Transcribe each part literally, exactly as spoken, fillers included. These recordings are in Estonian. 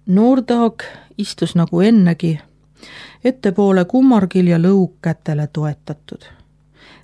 Noortaag istus nagu ennegi, ettepoole kummargil ja lõug kätele toetatud.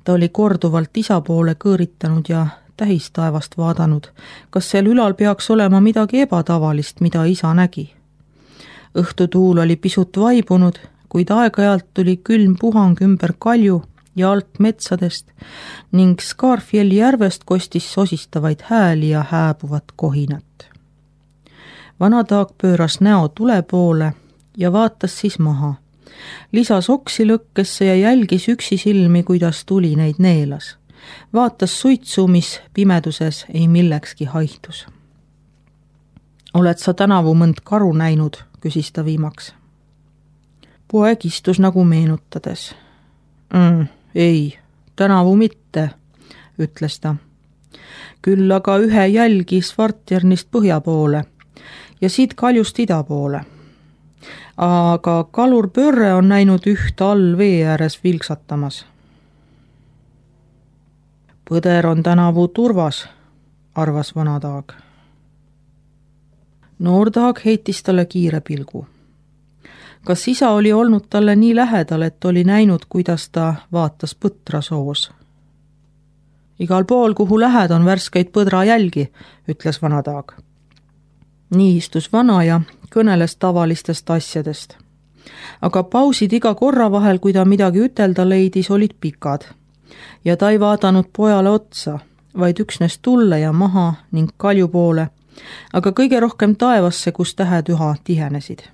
Ta oli korduvalt isa poole kõõritanud ja tähistaevast vaadanud, kas seal ülal peaks olema midagi ebatavalist, mida isa nägi. Õhtutuul oli pisut vaibunud, kuid aeg-ajalt tuli külm puhang ümber kalju ja alt metsadest ning Skarfjelli järvest kostis sosistavaid hääli ja hääbuvat kohinat. Vanataag pööras näo tule poole ja vaatas siis maha. Lisas oksi lõkkesse ja jälgis üksi silmi, kuidas tuli neid neelas. Vaatas suitsu, mis pimeduses ei millekski haihtus. Oled sa tänavu mõnd karu näinud, küsis ta viimaks. Poeg istus nagu meenutades. Mm, ei, tänavu mitte, ütles ta. Küll aga ühe jälgi Svartjärnist põhja poole ja siit kaljust ida poole. Aga kalur Pörre on näinud üht all vee ääres vilksatamas. Põder on tänavu turvas, arvas Vanataag. Noortaag heitis talle kiire pilgu. Kas isa oli olnud talle nii lähedal, et oli näinud, kuidas ta vaatas põtra soos? Igal pool, kuhu lähed, on värskeid põdra jälgi, ütles Vanataag. Nii istus vana ja kõneles tavalistest asjadest. Aga pausid iga korra vahel, kui ta midagi ütelda leidis, olid pikad. Ja ta ei vaadanud pojale otsa, vaid üksnes tulle ja maha ning kalju poole, aga kõige rohkem taevasse, kus tähed üha tihenesid.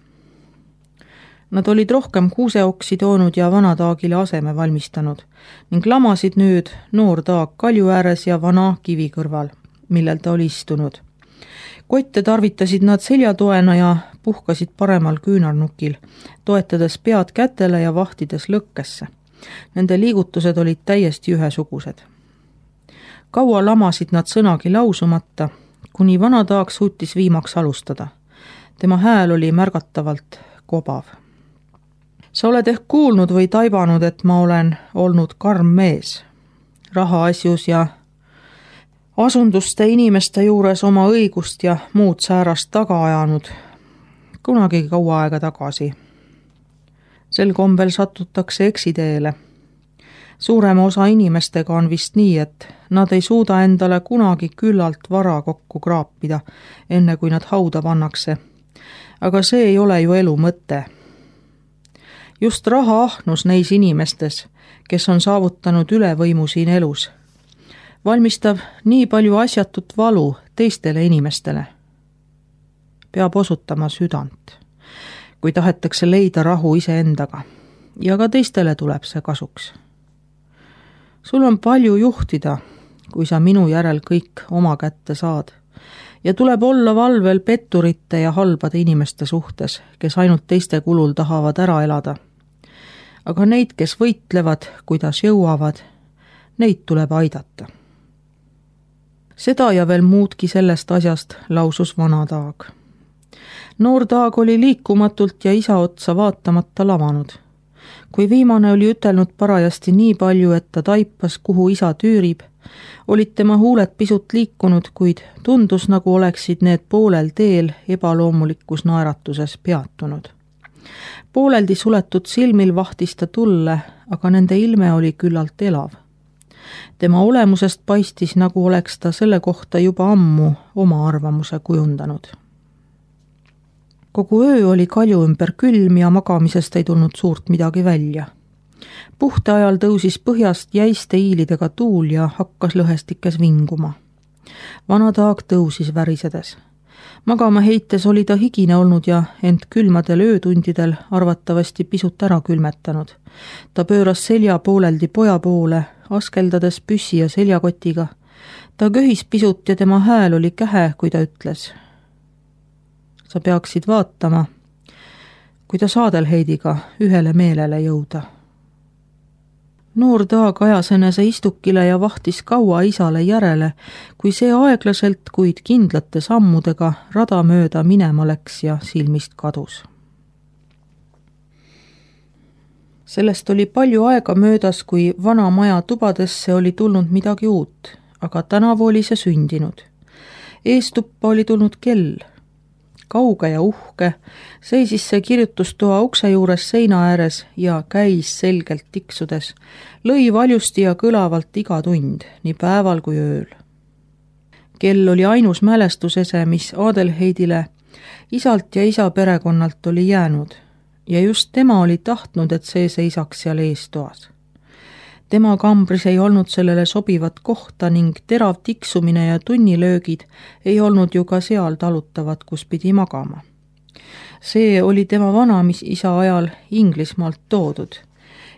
Nad olid rohkem kuuseoksi toonud ja Vanataagile aseme valmistanud ning lamasid nüüd Noortaag kalju ääres ja vana kivi kõrval, millel ta oli istunud. Kotte tarvitasid nad seljatoena ja puhkasid paremal küünarnukil, toetades pead kätele ja vahtides lõkkesse. Nende liigutused olid täiesti ühesugused. Kaua lamasid nad sõnagi lausumata, kuni Vanataag suutis viimaks alustada. Tema hääl oli märgatavalt kobav. Sa oled ehk kuulnud või taibanud, et ma olen olnud karm mees. Rahaasjus ja asunduste inimeste juures oma õigust ja muud säärast taga ajanud, kunagi kaua aega tagasi. Sel kombel satutakse eksiteele. Suurema osa inimestega on vist nii, et nad ei suuda endale kunagi küllalt vara kokku kraapida, enne kui nad hauda pannakse. Aga see ei ole ju elu mõte. Just raha ahnus neis inimestes, kes on saavutanud ülevõimu siin elus, valmistab nii palju asjatut valu teistele inimestele. Peab osutama südant, kui tahetakse leida rahu iseendaga, ja ka teistele tuleb see kasuks. Sul on palju juhtida, kui sa minu järel kõik oma kätte saad, ja tuleb olla valvel petturite ja halbade inimeste suhtes, kes ainult teiste kulul tahavad ära elada. Aga neid, kes võitlevad, kuidas jõuavad, neid tuleb aidata. Seda ja veel muudki sellest asjast lausus Vanataag. Noortaag oli liikumatult ja isa otsa vaatamata lavanud. Kui viimane oli ütelnud parajasti nii palju, et ta taipas, kuhu isa tüürib, olid tema huuled pisut liikunud, kuid tundus, nagu oleksid need poolel teel ebaloomulikus naeratuses peatunud. Pooleldi suletud silmil vahtis ta tulle, aga nende ilme oli küllalt elav. Tema olemusest paistis, nagu oleks ta selle kohta juba ammu oma arvamuse kujundanud. Kogu öö oli kalju ümber külm ja magamisest ei tulnud suurt midagi välja. Puhte ajal tõusis põhjast jäiste iilidega tuul ja hakkas lõhestikes vinguma. Vanataag tõusis värisedes. Magama heites oli ta higine olnud ja ent külmadel öötundidel arvatavasti pisut ära külmetanud. Ta pööras selja pooleldi poja poole, askeldades püssi ja seljakotiga. Ta köhis pisut ja tema hääl oli kähe, kui ta ütles. Sa peaksid vaatama, kui ta Saadelheidiga ühele meelele jõuda. Noortaag ajas enese istukile ja vahtis kaua isale järele, kui see aeglaselt, kuid kindlate sammudega rada mööda minema läks ja silmist kadus. Sellest oli palju aega möödas, kui vana maja tubadesse oli tulnud midagi uut, aga tänavu oli see sündinud. Eestuppa oli tulnud kell. kauge ja uhke, seisis see kirjutustoa ukse juures seina ääres ja käis selgelt tiksudes, lõi valjusti ja kõlavalt iga tund, nii päeval kui ööl. Kell oli ainus mälestusese, mis Adelheidile isalt ja isa perekonnalt oli jäänud ja just tema oli tahtnud, et see seisaks seal eestoas. Tema kambris ei olnud sellele sobivat kohta ning terav tiksumine ja tunnilöögid ei olnud ju ka seal talutavad, kus pidi magama. See oli tema vana, mis isa ajal Inglismaalt toodud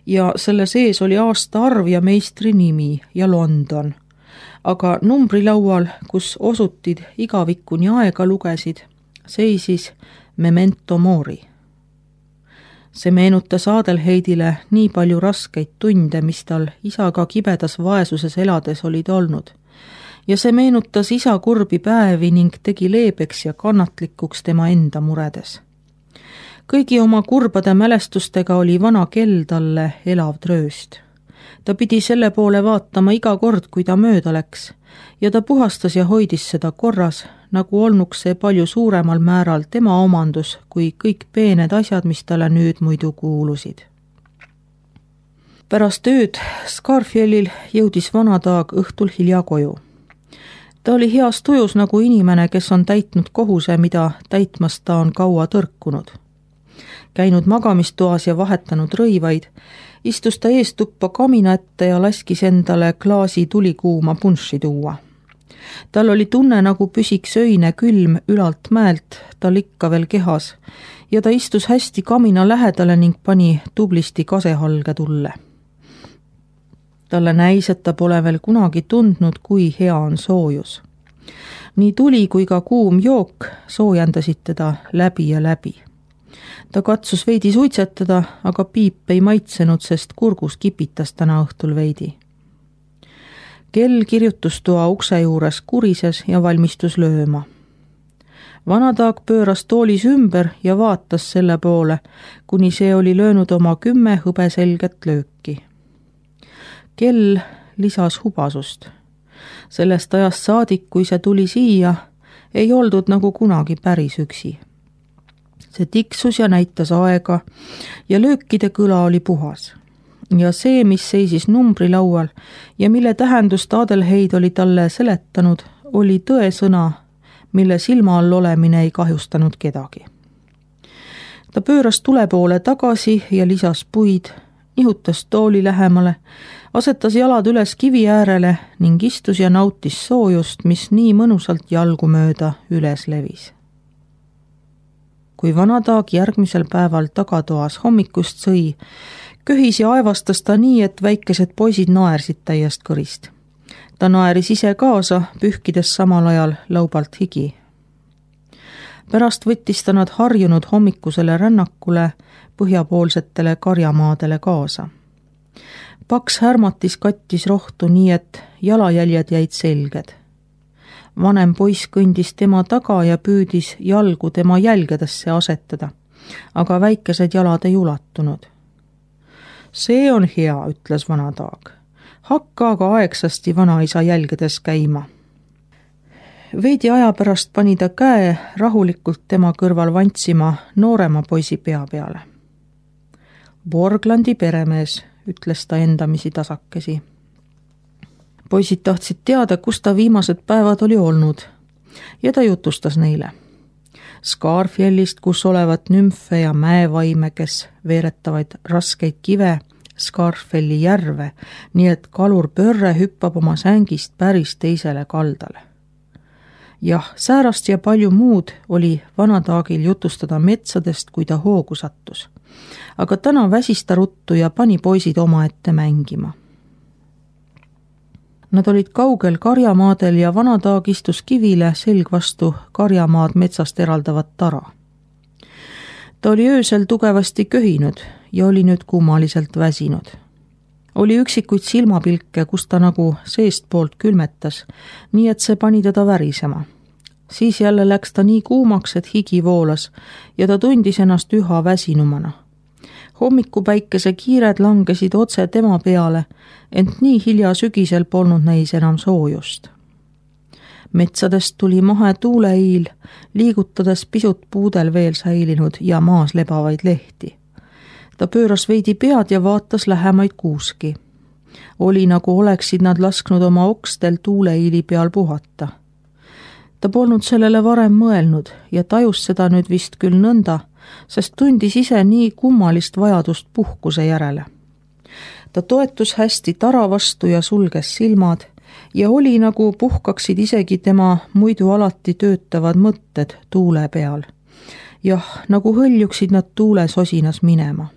ja selle sees oli aastaarv ja meistri nimi ja London, aga numbrilaual, kus osutid igavikuni aega lugesid, seisis Memento Mori. See meenutas Adelheidile nii palju raskeid tunde, mis tal isaga kibedas vaesuses elades olid olnud. Ja see meenutas isa kurbi päevi ning tegi leebeks ja kannatlikuks tema enda muredes. Kõigi oma kurbade mälestustega oli vana kell talle elav trööst. Ta pidi selle poole vaatama iga kord, kui ta mööda läks, ja ta puhastas ja hoidis seda korras, nagu olnuks see palju suuremal määral tema omandus kui kõik peened asjad, mis talle nüüd muidu kuulusid. Pärast ööd Scarfjellil jõudis vanataag õhtul hilja koju. Ta oli heas tujus nagu inimene, kes on täitnud kohuse, mida täitmast ta on kaua tõrkunud. Käinud magamistoas ja vahetanud rõivaid, istus ta eestuppa kamina ette ja laskis endale klaasi tulikuuma punši tuua. Tal oli tunne, nagu püsiks öine külm ülalt mäelt tal ikka veel kehas ja ta istus hästi kamina lähedale ning pani tublisti kasehalge tulle. Talle näis, et ta pole veel kunagi tundnud, kui hea on soojus. Nii tuli kui ka kuum jook soojendasid teda läbi ja läbi. Ta katsus veidi suitsetada, aga piip ei maitsenud, sest kurgus kipitas täna õhtul veidi. Kell kirjutustoa ukse juures kurises ja valmistus lööma. Vanataag pööras toolis ümber ja vaatas selle poole, kuni see oli löönud oma kümme hõbeselget lööki. Kell lisas hubasust. Sellest ajast saadik, kui see tuli siia, ei oldud nagu kunagi päris üksi. See tiksus ja näitas aega ja löökide kõla oli puhas. Ja see, mis seisis numbrilaual ja mille tähendust Adelheid oli talle seletanud, oli tõesõna, mille silma all olemine ei kahjustanud kedagi. Ta pööras tule poole tagasi ja lisas puid, nihutas tooli lähemale, asetas jalad üles kivi äärele ning istus ja nautis soojust, mis nii mõnusalt jalgu mööda üles levis. Kui vanataag järgmisel päeval tagatoas hommikust sõi, köhis ja aevastas ta nii, et väikesed poisid naersid täiest kõrist. Ta naeris ise kaasa, pühkides samal ajal laubalt higi. Pärast võttis ta nad harjunud hommikusele rännakule põhjapoolsetele karjamaadele kaasa. Paks härmatis kattis rohtu nii, et jalajäljed jäid selged. Vanem poiss kõndis tema taga ja püüdis jalgu tema jälgedesse asetada, aga väikesed jalad ei ulatunud. See on hea, ütles vanataag. Hakka aga aegsasti vanaisa jälgedes käima. Veidi aja pärast pani ta käe rahulikult tema kõrval vantsima noorema poisi pea peale. Borglandi peremees, ütles ta endamisi tasakesi. Poisid tahtsid teada, kus ta viimased päevad oli olnud ja ta jutustas neile. Scarfjellist, kus olevat nümfe ja mäevaime, kes veeretavaid raskeid kive, Scarfelli järve, nii et kalur pörre hüppab oma sängist päris teisele kaldale. Jah, säärast ja palju muud oli vanataagil jutustada metsadest, kui ta hoogu sattus. Aga täna väsis ta ruttu ja pani poisid oma ette mängima. Nad olid kaugel karjamaadel ja vanataag istus kivile selg vastu karjamaad metsast eraldavat tara. Ta oli öösel tugevasti köhinud ja oli nüüd kummaliselt väsinud. Oli üksikuid silmapilke, kus ta nagu seestpoolt külmetas, nii et see pani teda värisema. Siis jälle läks ta nii kuumaks, et higi voolas ja ta tundis ennast üha väsinumana. Hommikupäikese kiired langesid otse tema peale, ent nii hilja sügisel polnud neis enam soojust. Metsadest tuli mahe tuuleiil, liigutades pisut puudel veel säilinud ja maas lebavaid lehti. Ta pööras veidi pead ja vaatas lähemaid kuuski. Oli nagu oleksid nad lasknud oma okstel tuuleiili peal puhata. Ta polnud sellele varem mõelnud ja tajus seda nüüd vist küll nõnda, sest tundis ise nii kummalist vajadust puhkuse järele. Ta toetus hästi tara vastu ja sulges silmad ja oli nagu puhkaksid isegi tema muidu alati töötavad mõtted tuule peal. Jah, nagu hõljuksid nad tuule sosinas minema.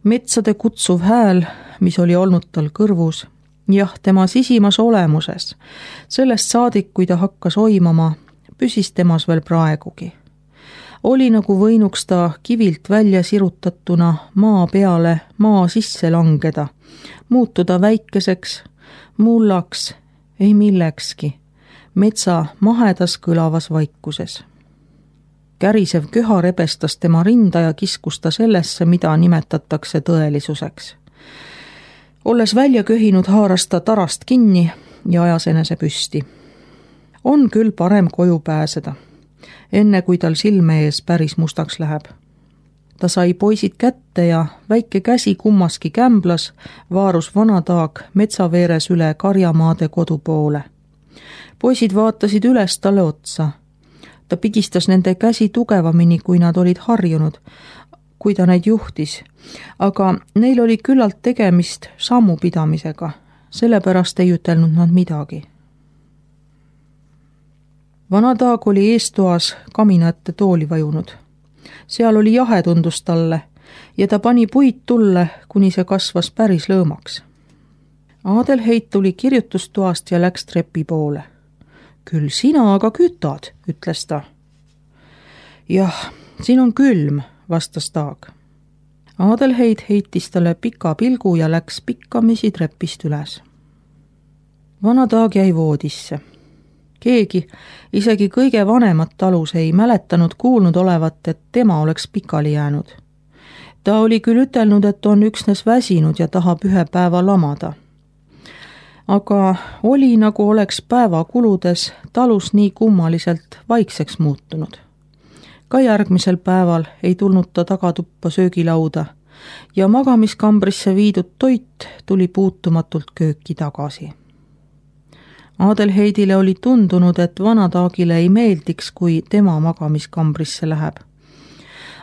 Metsade kutsuv hääl, mis oli olnud tal kõrvus, jah, tema sisimas olemuses, sellest saadik, kui ta hakkas oimama, püsis temas veel praegugi. Oli nagu võinuks ta kivilt välja sirutatuna maa peale maa sisse langeda, muutuda väikeseks, mullaks, ei millekski, metsa mahedas kõlavas vaikuses. Kärisev köha rebestas tema rinda ja kiskus ta sellesse, mida nimetatakse tõelisuseks. Olles välja köhinud, haaras ta tarast kinni ja ajas enese püsti. On küll parem koju pääseda, enne kui tal silme ees päris mustaks läheb. Ta sai poisid kätte ja väike käsi kummaski kämblas vaarus vanataag metsaveeres üle karjamaade kodu poole. Poisid vaatasid üles talle otsa. Ta pigistas nende käsi tugevamini, kui nad olid harjunud, kui ta neid juhtis, aga neil oli küllalt tegemist sammupidamisega, sellepärast ei ütelnud nad midagi. Vanataag oli eestoas kamina ette tooli vajunud. Seal oli jahe tundus talle ja ta pani puid tulle, kuni see kasvas päris lõõmaks. Adelheid tuli kirjutustoast ja läks trepi poole. Küll sina aga kütad, ütles ta. Jah, siin on külm, vastas Taag. Adelheid heitis talle pika pilgu ja läks pikkamisi trepist üles. Vana Taag jäi voodisse. Keegi, isegi kõige vanemat talus ei mäletanud kuulnud olevat, et tema oleks pikali jäänud. Ta oli küll ütelnud, et on üksnes väsinud ja tahab ühe päeva lamada. Aga oli nagu oleks päeva kuludes talus nii kummaliselt vaikseks muutunud. Ka järgmisel päeval ei tulnud ta tagatuppa söögilauda ja magamiskambrisse viidud toit tuli puutumatult kööki tagasi. Adelheidile oli tundunud, et Vanataagile ei meeldiks, kui tema magamiskambrisse läheb.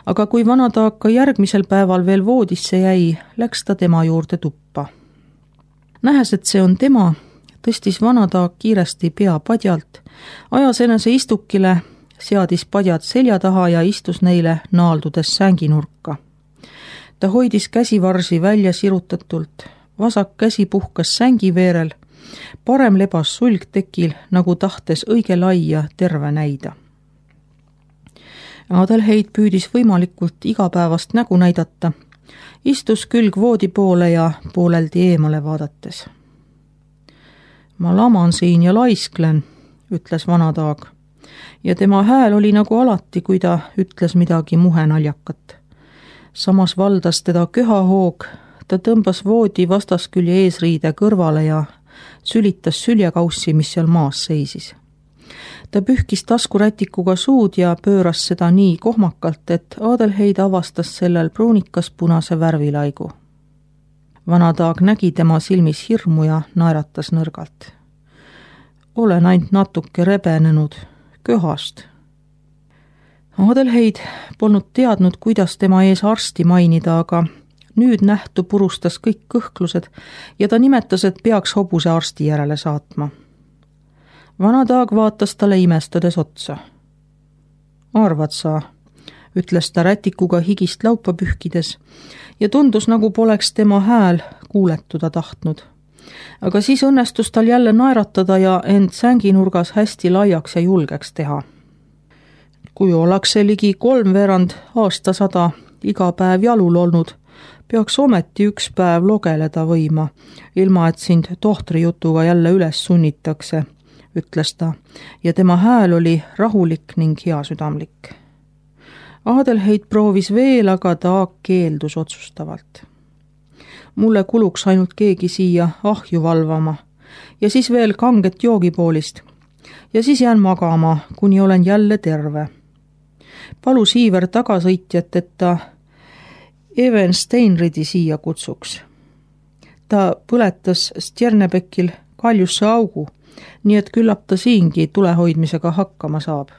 Aga kui Vanataag ka järgmisel päeval veel voodisse jäi, läks ta tema juurde tuppa. Nähes, et see on tema, tõstis Vanataag kiiresti pea padjalt, ajas enese istukile, seadis padjad selja taha ja istus neile naaldudes sänginurka. Ta hoidis käsivarsi välja sirutatult, vasak käsi puhkas sängiveerel, parem lebas sulg tekil, nagu tahtes õige laia terve näida. Adelheid püüdis võimalikult igapäevast nägu näidata, istus külg voodi poole ja pooleldi eemale vaadates. Ma laman siin ja laisklen, ütles Vanataag, ja tema hääl oli nagu alati, kui ta ütles midagi muhenaljakat. Samas valdas teda köhahoog, ta tõmbas voodi vastaskülje eesriide kõrvale ja sülitas süljekaussi, mis seal maas seisis. Ta pühkis taskurätikuga suud ja pööras seda nii kohmakalt, et Adelheid avastas sellel pruunikas punase värvilaigu. Vanataag nägi tema silmis hirmu ja naeratas nõrgalt. Olen ainult natuke rebenenud köhast. Adelheid polnud teadnud, kuidas tema ees arsti mainida, aga nüüd nähtu purustas kõik kõhklused ja ta nimetas, et peaks hobuse arsti järele saatma. Vanataag vaatas talle imestades otsa. Arvad sa, ütles ta rätikuga higist laupa pühkides ja tundus, nagu poleks tema hääl kuuletuda tahtnud. Aga siis õnnestus tal jälle naeratada ja end sänginurgas hästi laiaks ja julgeks teha. Kui ollakse ligi kolmveerand aastasada iga päev jalul olnud, peaks ometi üks päev logeleda võima, ilma et sind tohtri jutuga jälle üles sunnitakse, ütles ta, ja tema hääl oli rahulik ning heasüdamlik. Adelheid proovis veel, aga Taag keeldus otsustavalt. Mulle kuluks ainult keegi siia ahju valvama ja siis veel kanget joogipoolist. ja siis jään magama, kuni olen jälle terve. Palu Siiver tagasõitjat, et ta Even Steinridi siia kutsuks. Ta põletas Stjernebekil kaljusse augu, nii et küllap ta siingi tulehoidmisega hakkama saab.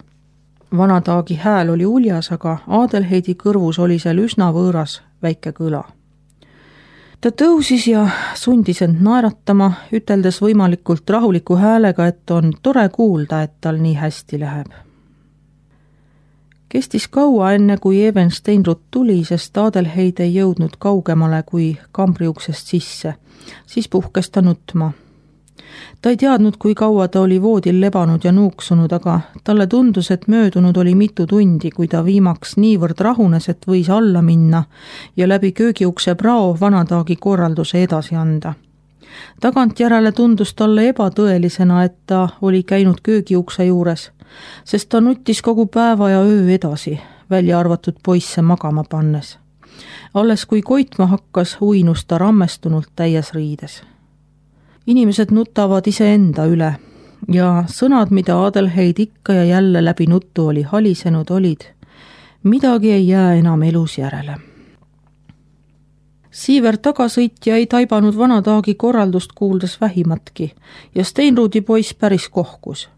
Vanataagi hääl oli uljas, aga Adelheidi kõrvus oli seal üsna võõras väike kõla. Ta tõusis ja sundis end naeratama, üteldes võimalikult rahuliku häälega, et on tore kuulda, et tal nii hästi läheb. Kestis kaua enne, kui Even Steinrud tuli, sest Adelheid ei jõudnud kaugemale kui kambriuksest sisse. Siis puhkes ta nutma. Ta ei teadnud, kui kaua ta oli voodil lebanud ja nuuksunud, aga talle tundus, et möödunud oli mitu tundi, kui ta viimaks niivõrd rahunes, et võis alla minna ja läbi köögiukse prao Vanataagi korralduse edasi anda. Tagantjärele tundus talle ebatõelisena, et ta oli käinud köögiukse juures, sest ta nuttis kogu päeva ja öö edasi, välja arvatud poisse magama pannes. Alles kui koitma hakkas, uinus ta rammestunult täies riides. Inimesed nutavad iseenda üle ja sõnad, mida Adelheid ikka ja jälle läbi nuttu oli halisenud, olid: midagi ei jää enam elus järele. Siiver tagasõitja ei taibanud Vanataagi korraldust kuuldes vähimatki ja Steinrudi poiss päris kohkus.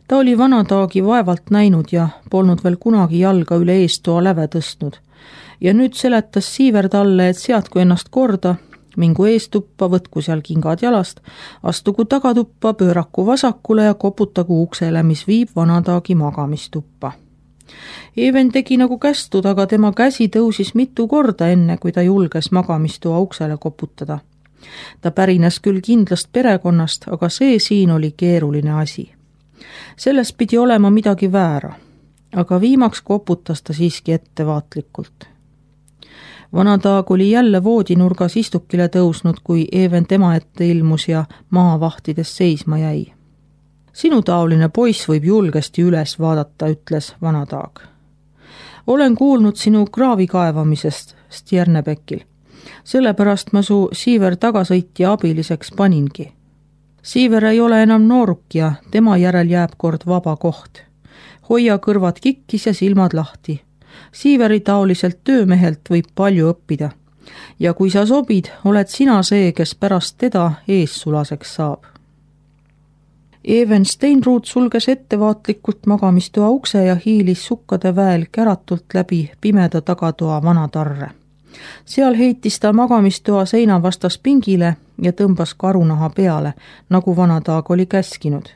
Ta oli Vanataagi vaevalt näinud ja polnud veel kunagi jalga üle eestoa läve tõstnud. Ja nüüd seletas Siiver talle, et seadku ennast korda, mingu eestuppa, võtku seal kingad jalast, astugu tagatuppa, pööraku vasakule ja koputagu uksele, mis viib Vanataagi magamistuppa. Even tegi nagu kästud, aga tema käsi tõusis mitu korda enne, kui ta julges magamistoa uksele koputada. Ta pärines küll kindlast perekonnast, aga see siin oli keeruline asi. Selles pidi olema midagi väära, aga viimaks koputas ta siiski ettevaatlikult. Vanataag oli jälle voodinurgas istukile tõusnud, kui Even tema ette ilmus ja maavahtides seisma jäi. Sinu taoline poiss võib julgesti üles vaadata, ütles Vanataag. Olen kuulnud sinu kraavi kaevamisest Stjernebekil. Sellepärast ma su Siiver tagasõitja abiliseks paningi. Siiver ei ole enam nooruk ja tema järel jääb kord vaba koht. Hoia kõrvad kikkis ja silmad lahti. Siiveri taoliselt töömehelt võib palju õppida. Ja kui sa sobid, oled sina see, kes pärast teda eessulaseks saab. Even Steinrud sulges ettevaatlikult magamistoa ukse ja hiilis sukkade väel käratult läbi pimeda tagatoa vanatarre. Seal heitis ta magamistoa seina vastas pingile ja tõmbas karunaha peale, nagu Vanataag oli käskinud.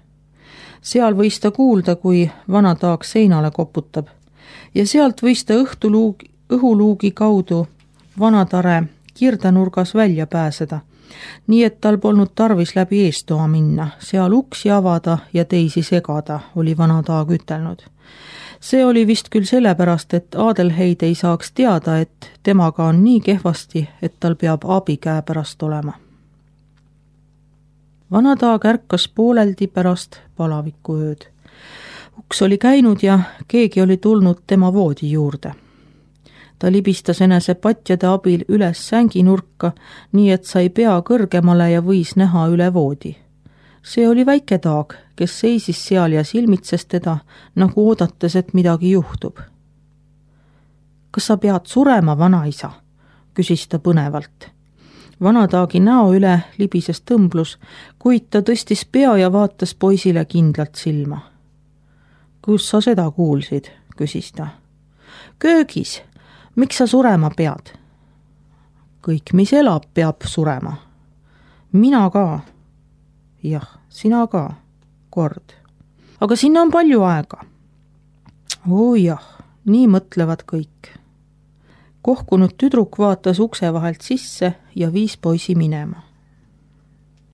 Seal võis ta kuulda, kui Vanataag seinale koputab ja sealt võis ta õhtuluugi, õhuluugi kaudu vanatare kirdanurgas välja pääseda, nii et tal polnud tarvis läbi eestoa minna, seal uksi avada ja teisi segada, oli Vanataag ütelnud. See oli vist küll sellepärast, et Adelheid ei saaks teada, et temaga on nii kehvasti, et tal peab abi käe pärast olema. Vanataag ärkas pooleldi pärast palaviku ööd. Uks oli käinud ja keegi oli tulnud tema voodi juurde. Ta libistas enese patjade abil üles sänginurka, nii et sai pea kõrgemale ja võis näha üle voodi. See oli väike Taag, kes seisis seal ja silmitses teda, nagu oodates, et midagi juhtub. Kas sa pead surema, vanaisa? Küsis ta põnevalt. Vanataagi näo üle libises tõmblus, kuid ta tõstis pea ja vaatas poisile kindlalt silma. Kus sa seda kuulsid? Küsis ta. Köögis. Miks sa surema pead? Kõik, mis elab, peab surema. Mina ka. Jah, sina ka. Kord. Aga sinna on palju aega. Oo jah, nii mõtlevad kõik. Kohkunud tüdruk vaatas ukse vahelt sisse ja viis poisi minema.